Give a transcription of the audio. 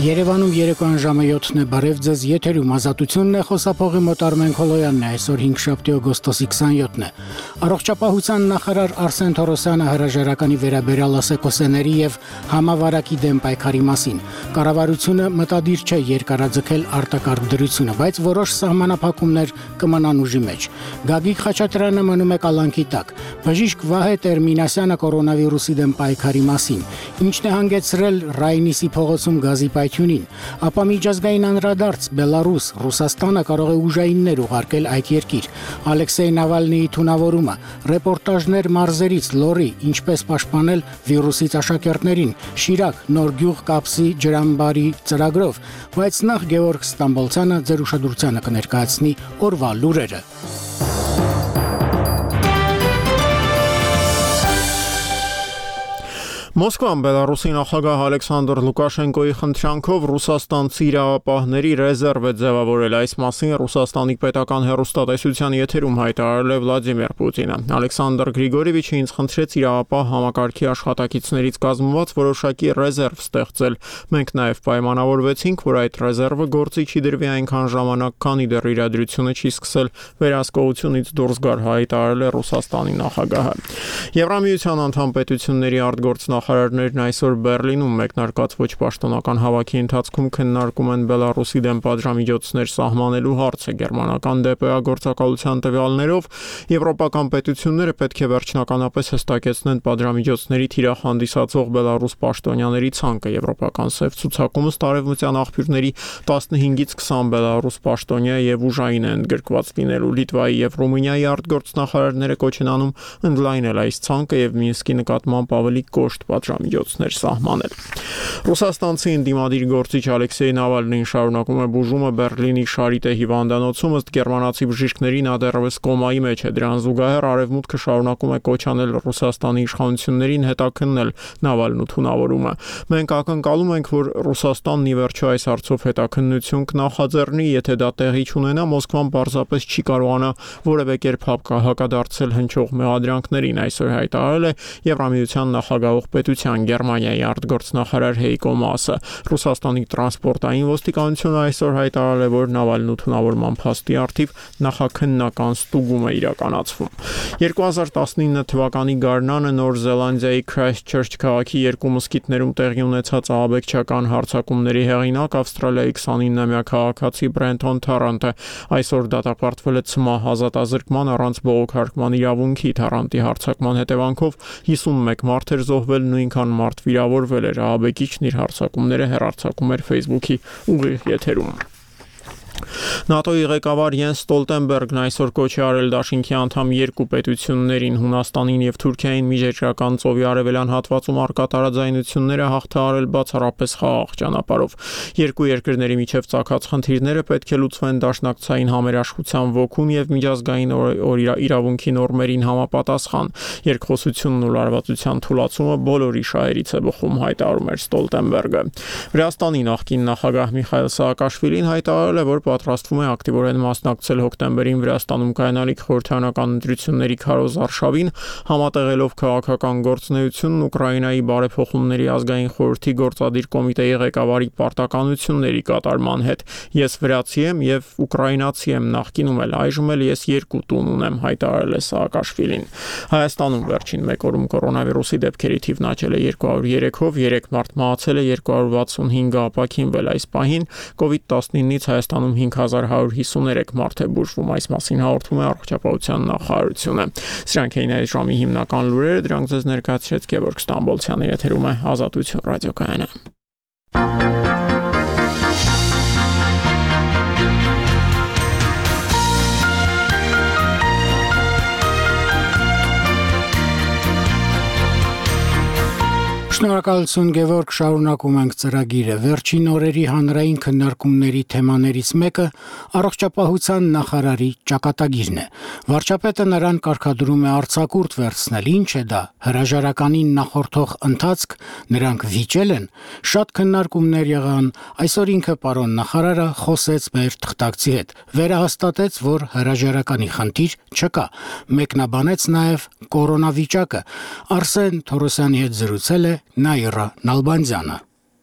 Երևանում երեկոյան ժամը 7-ն է, բարև ձեզ, եթերում Ազատությունն է, խոսափողի մոտ Արմեն Քոլոյանն է, այսօր 5 օգոստոսի 27-ն է։ Առողջապահության նախարար Արսեն Թորոսյանը հրաժարականի վերաբերյալ ասեկոսեների եւ համավարակի դեմ պայքարի մասին։ Կառավարությունը մտադիր չէ երկարաձգել արտակարգ դրությունը, բայց որոշ սահմանափակումներ կմնան ուժի մեջ։ Գագիկ Խաչատրյանը մնում է կալանքի տակ։ Բժիշկ Վահե Տերմինասյանը կորոնավիրուսի դեմ պայքարի մասին։ Ինչն է հանգեցրել Ռայնիսի փողոցում գազի պայթյունին, ապա միջազգային անդրադարձ Բելարուս, Ռուսաստանը կարող է ուժայիններ ուղարկել այդ երկիր։ Ալեքսեյ Նավալնիի թունավորումը, ռեպորտաժներ մարզերից, լորի, ինչպես պաշտպանել վիրուսից աշակերտներին, Շիրակ, նոր գյուղ կապսի ջրամբարի ծրագրով, բայց նախ Գևորգ Ստամբոլցյանը ձեր ուշադրությանը կներկայացնի օրվա լուրերը։ Մոսկվան Բելարուսի նախագահ Ալեքսանդր Լուկաշենկոյի խնդրանքով ռուսաստանցի իրավապահների ռեզերվ է ձևավորել, այս մասին Ռուսաստանի պետական հեռուստատեսության եթերում հայտարարել է Վլադիմիր Պուտինը։ Ալեքսանդր Գրիգորիևիչը ինձ խնդրեց իրավապահ համակարգի աշխատակիցներից կազմված որոշակի ռեզերվ ստեղծել։ Մենք նաև պայմանավորվեցինք, որ այդ ռեզերվը գործի չի դրվի այնքան ժամանակ, քանի դեռ իրադրությունը չի սկսել վերահսկողությունից դուրս գալ, հայտարարել է Ռուսաստանի նախագահը։ Եվրամիության անդամ պետությունների արտգործնախարարներն այսօր Բերլինում մեկնարկած ոչ պաշտոնական հավաքի ընթացքում քննարկում են Բելարուսի դեմ պատժամիջոցներ սահմանելու հարցը։ Գերմանական ԴՊԱ գործակալության տվյալներով եվրոպական պետությունները պետք է վերջնականապես հստակեցնեն պատժամիջոցների թիրախ հանդիսացող Բելարուս պաշտոնյաների ցանկը։ Եվրոպական սև ցուցակումը տարեվմտյան աղբյուրների 15-ից 20 Բելարուս պաշտոնյա եւ ուժային են ընդգրկված լինելու։ Լիտվայի եւ Ռումինիայի արտգործնախարարները կոչ են անում ընդլայնել այս ցանկը եւ Մինսկի նկատմամբ ավելի կոշտ պատժամիջոցներ սահմանել։ Ռուսաստանցի ընդդիմադիր գործիչ Ալեքսեյ Նավալնին շարունակում է բուժումը Բերլինի Շարիտե հիվանդանոցում, ըստ գերմանացի բժիշկների նա դեռևս կոմայի մեջ է։ Դրան զուգահեռ արևմուտքը շարունակում է կոչ անել Ռուսաստանի իշխանություններին հետաքննել Նավալնու թունավորումը։ Մենք ակնկալում ենք, որ Ռուսաստանն ի վերջո այս հարցով հետաքննություն կնախաձեռնի, եթե դա տեղի չունենա, Մոսկվան պարզապես չի կարողանա որևէ կերպ հակադարձել հնչող մեղադրանքներին, այսօր հայտարարել է Եվրամիության նախագահող պետության Գերմանիայի արտգործնախարար Հեյկո Մասը։ Ռուսաստանի տրանսպորտային ոստիկանությունը այսօր հայտարարել է, որ Նավալնու թունավորման փաստի առթիվ նախաքննական ստուգում է իրականացվում։ 2019 թվականի գարնանը Նոր Զելանդիայի Քրայսթչերչ քաղաքի երկու մզկիթներում տեղի ունեցած ահաբեկչական հարձակումների հեղինակ Ավստրալիայի 29-ամյա քաղաքացի Բրենթոն Թարանտը այսօր դատապարտվել է ցմահ ազատազրկման առանց բողոքարկման իրավունքի։ Թարանտի հարձակման հետևանքով 51 մարդ էր զոհվել, նույնքան մարդ վիրավորվել էր։ Ահաբեկիչն իր հարձակումները հեռարձակում էր Facebook-ի ուղիղ եթերում։ ՆԱՏՕ-ի ղեկավար Յենս Ստոլտենբերգն այսօր կոչ է արել դաշինքի անդամ երկու պետություններին՝ Հունաստանին եւ Թուրքիային միջերկրական ծովի արևելյան հատվածում առկա տարաձայնությունները հաղթահարել բացառապես խաղաղ ճանապարհով։ Երկու երկրների միջև ծագած խնդիրները պետք է լուծվեն դաշնակցային համերաշխության ոգուն եւ միջազգային իրավունքի նորմերին համապատասխան։ Երկխոսությունն ու լարվածության թուլացումը բոլորի շահերից է բխում, հայտարարում էր Ստոլտենբերգը։ Վրաստանի նախկին նախագահ Միխայիլ Սաակաշվիլին հայտարարել է, որ պատրաստվում է ակտիվորեն մասնակցել հոկտեմբերին Վրաստանում կայանալիք խորհրդարանական ընտրությունների քարոզ արշավին, համատեղելով քաղաքական գործունեությունն Ուկրաինայի բարեփոխումների ազգային խորհրդի գործադիր կոմիտեի ղեկավարի պարտականությունների կատարման հետ։ Ես վրացի եմ եւ ուկրաինացի եմ, նախկինում էլ այժմ էլ ես երկու տուն ունեմ, հայտարարել է Սաակաշվիլին։ Հայաստանում վերջին մեկ օրում կորոնավիրուսի դեպքերի թիվն աճել է 203-ով, 3 մարդ մահացել է, 265-ը ապաքինվել։ Այս պահին COVID-19-ից Հայաստանում 5153 մարդ է բուժվում, այս մասին հաղորդում է առողջապահության նախարարությունը։ Սրանք էին այս ժամի հիմնական լուրերը, դրանք ձեզ ներկայացրեց Գևորգ Ստամբոլցյանը, եթերում է Ազատություն ռադիոկայանը։ Շնորհակալություն Գևորգ, շարունակում ենք ծրագիրը։ Վերջին օրերի հանրային քննարկումների թեմաներից մեկը առողջապահության նախարարի ճակատագիրն է։ Վարչապետը նրան կարգադրում է արձակուրդ վերցնել։ Ինչ է դա, հրաժարականին նախորդող ընթացք, նրանք վիճել են։ Շատ քննարկումներ եղան, այսօր ինքը պարոն նախարարը խոսեց մեր թղթակցի հետ, վերահաստատեց, որ հրաժարականի խնդիր չկա։ Մեկնաբանեց նաև կորոնավիճակը։ Արսեն Թորոսյանի հետ զրուցել է Նաիրա Նալբանդյանը։